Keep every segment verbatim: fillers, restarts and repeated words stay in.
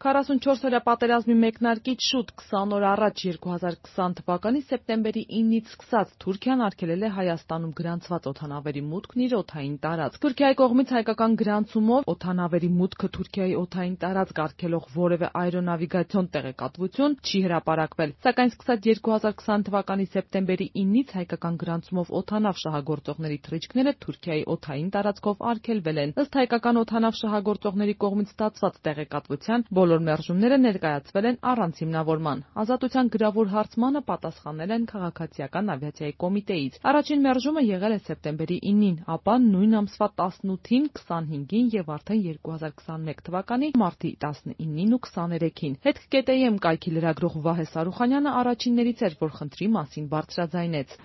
քառասունչորս-օրյա պատերազմի մեկնարկից շուտ քսան օր առաջ երկու հազար քսան թվականի սեպտեմբերի իննից սկսած Թուրքիան արգելել է Հայաստանում գրանցված օդանավերի մուտքն իր օդային տարածք։ Թուրքիայի կողմից հայկական գրանցումով օդանավերի մուտքը Թուրքիայի օդային տարածք արգելող որևէ աերոնավիգացիոն տեղեկատվություն չի հրապարակվել, սակայն սկսած երկու հազար քսան թվականի սեպտեմբերի իննից հայկական գրանցումով օդանավ շահագործողների թռիչքները Թուրքիայի օդային տարածքով արգելվել են։ Ըստ հայկական օդանավ շահագործողների կողմից ստացված տեղեկատվության, բոլոր մերժումները ներկայացվել են առանց հիմնավորման։ Ազատության գրավոր հարցմանը պատասխանել են Քաղաքացիական ավիացիայի կոմիտեից։ Առաջին մերժումը եղել է սեպտեմբերի իննին, ապա նույն ամսվա տասնութին, քսանհինգին եւ արդեն երկու հազար քսանմեկ թվականի մարտի տասնինին ու քսաներեքին։ Հետք.կե.տե.ի.էմ կայքի լրագրող Վահե Սարուխանյանը առաջիններից էր, որ խնդրի մասին բարձրաձայնեց։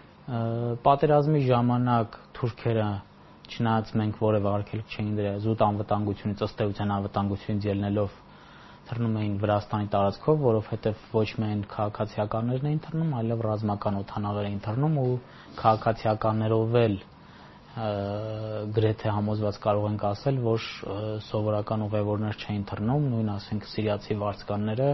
Պատերազմի ժամանակ թուրքերը, չնայած մենք որևէ արգելք չէին դրել, զուտ անվտանգությունից, ըստ էության անվտանգությունից ելնելով թռնում էին Վրաստանի տարածքով, որովհետև ոչ միայն քաղաքացիականներն էին թռնում, այլև ռազմական օդանավեր էին թռնում ու քաղաքացիականներով էլ գրեթե համոզված կարող ենք ասել, որ սովորական ուղևորներ չէին թռնում, նույն ասենք սիրիացի վարձկանները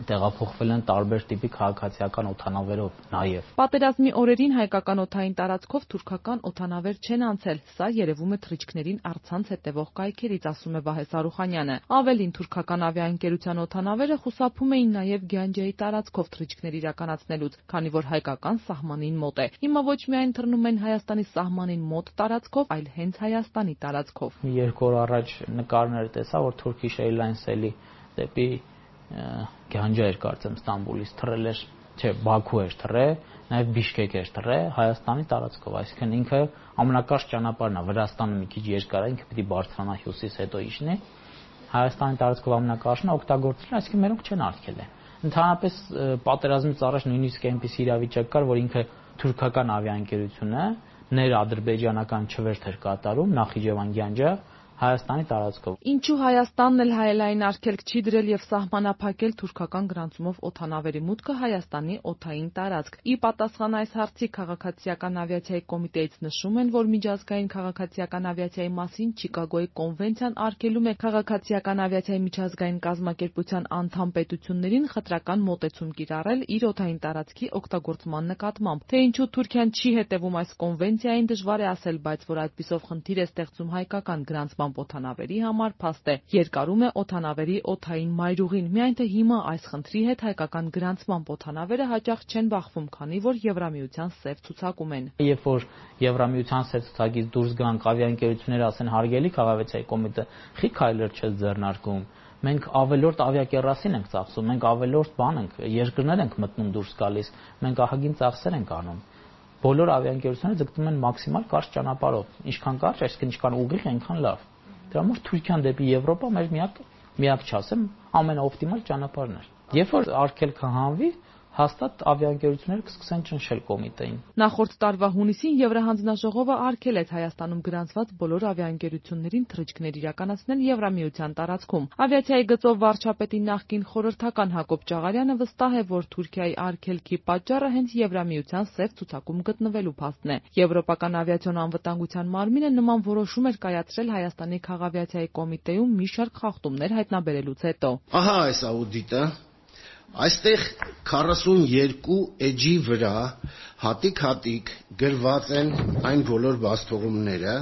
տեղափոխվել են տարբեր տիպի քաղաքացիական օդանավերով նաև։ Պատերազմի օրերին հայկական օդային տարածքով թուրքական օդանավեր չեն անցել, սա երևում է թռիչքներին առցանց հետևող կայքերից, ասում է Վահե Սարուխանյանը։ Ավելին, թուրքական ավիաընկերության օդանավերը խուսափում էին նաև Գյանջեի տարածքով թռիչքներ իրականացնելուց, քանի որ հայկական սահմանին մոտ է։ Հիմա ոչ միայն թռնում են Հայաստանի սահմանին մոտ տարածքով, այլ հենց Հայաստանի տարածքով։ Երկու օր առաջ նկարներ տեսա, որ Turkish Airlines-ելի դեպի Գյանջա էր կարծեմ Ստամբուլից թռել էր, չէ, Բաքու էր թռել, նաև Բիշկեք էր թռել Հայաստանի տարածքով, այսինքն ինքը ամենակարճ ճանապարհն է, Վրաստանը մի քիչ երկար է, ինքը պիտի բարձրանա հյուսիս, հետո իջնի, Հայաստանի տարածքով ամենակարճն է, օգտագործել են, այսինքն մերոնք չեն արգելել։ Ընդհանրապես պատերազմից առաջ նույնիսկ այնպիսի իրավիճակ կար, որ ինքը թուրքական ավիաընկերությունը ներ-ադրբեջանական չվերթ էր կատարում Նախիջևան Գյանջա Հայաստանի տարածքով։ Ինչու Հայաստանն էլ հայելային արգելք չի դրել եւ սահմանափակել թուրքական գրանցումով օդանավերի մուտքը Հայաստանի օդային տարածք։ Ի պատասխան այս հարցի Քաղաքացիական ավիացիայի կոմիտեից նշում են, որ միջազգային քաղաքացիական ավիացիայի մասին Չիկագոյի կոնվենցիան արգելում է քաղաքացիական ավիացիայի միջազգային կազմակերպության անդամ պետություններին խտրական մոտեցում կիրառել իր օդային տարածքի օգտագործման նկատմամբ։ Թե ինչու Թուրքիան չի հետևում այս կոնվենցիային դժվար է ասել, բայց որ այդպիսով խնդիր է ստեղծում հայկական գրանցման օդանավերի համար, փաստ է։ Երկարում է օդանավերի օդային մայրուղին, միայն թե հիմա այս խնդրի հետ հայկական գրանցման օդանավերը հաճախ չեն բախվում, քանի որ Եվրամիության սև ցուցակում են։ Երբ որ Եվրամիության սև ցուցակից դուրս գան ավիաընկերությունները ասեն հարգելի քաղաքացիայի կոմիտե, խի քայլեր չես ձեռնարկում։ Մենք ավելորդ ավիակերասին ենք ծախսում, մենք ավելորդ բան ենք, երկրներ ենք մտնում դուրս գալիս, մենք ահագին ծախսեր ենք անում։ Բոլոր ավիաընկերությունները ձգտում են մաքսիմալ կարճ ճանապարհով, ինչքան կարճ, այսինքն ինչքան ուղիղ, այնքան լավ։ Դրա համար Թուրքիան դեպի Եվրոպա մեր միակ միակ չասեմ, ամենաօպտիմալ ճանապարհն է։ Երբ որ արգելքը հանվի, հաստատ ավիաընկերությունները կսկսեն ճնշել կոմիտեին։ Նախորդ տարվա հունիսին Եվրահանձնաժողովը արգելեց Հայաստանում գրանցված բոլոր ավիաընկերություններին թռիչքներ իրականացնել Եվրամիության տարածքում։ Ավիացիայի գծով վարչապետի նախկին խորհրդական Հակոբ Ճաղարյանը վստահ է, որ Թուրքիայի արգելքի պատճառը հենց Եվրամիության սև ցուցակում գտնվելու փաստն է։ Եվրոպական ավիացիոն անվտանգության մարմինը նման որոշում էր կայացրել Հայաստանի քաղավիացիայի կոմիտեում մի շարք խախտումներ հայտնաբերելուց հետո։ Ահա այս աուդիտը Այստեղ քառասունյոթ էջի վրա հատիկ-հատիկ գրված են այն բոլոր բացթողումները,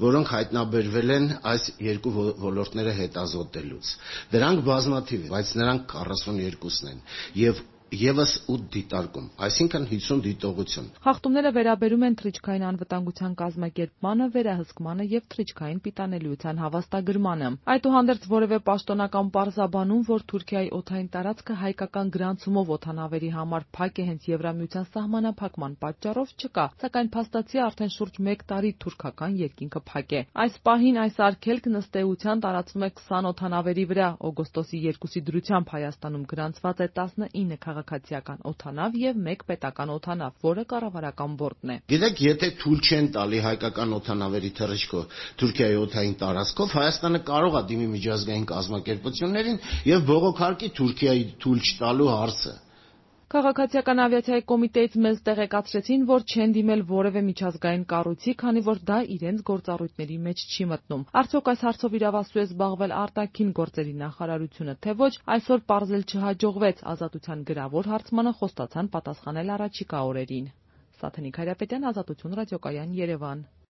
որոնք հայտնաբերվել են այս երկու ոլորտները հետազոտելուց։ Դրանք բազմաթիվ են, բայց նրանք քառասունյոթն են եւ Եվս ութ դիտարկում, այսինքն հիսուն դիտողություն։ Խախտումները վերաբերում են թռիչքային անվտանգության կազմակերպմանը, վերահսկմանը եւ թռիչքային պիտանելիության հավաստագրմանը։ Այդուհանդերձ որևէ պաշտոնական պարզաբանում, որ Թուրքիայի օդային տարածքը հայկական գրանցումով օդանավերի համար փակ է հենց Եվրամիության սահմանափակման պատճառով չկա, սակայն փաստացի արդեն շուրջ մեկ տարի թուրքական երկինքը փակ է։ Այս պահին այս արգելքն ըստ էության տարածվում է քսան օդանավերի վրա։ Օգոստոսի երկուսի դրությամբ Հայաստանում գրանցված է տասնինը քաղաքացիական օդանավ եւ մեկ պետական օդանավ, որը կառավարական բորտն է։ Գիտեք, եթե թույլ չեն տալի հայկական օդանավերի թռիչքը Թուրքիայի օդային տարածքով, Հայաստանը կարող է դիմի միջազգային կազմակերպություններին եւ բողոքարկի Թուրքիայի թույլ չտալու հարցը։ Քաղաքացիական ավիացիայի կոմիտեից մեզ տեղեկացրեցին, որ չեն դիմել որևէ միջազգային կառույցի, քանի որ դա իրենց գործառույթների մեջ չի մտնում։ Արդյոք այս հարցով իրավասու է զբաղվել արտաքին գործերի նախարարությունը, թե ոչ, այսօր պարզել չհաջողվեց։ Ազատության գրավոր հարցմանը խոստացան պատասխանել առաջիկա օրերին։ Սաթենիկ Հայրապետյան, Ազատություն ռադիոկայան, Երևան։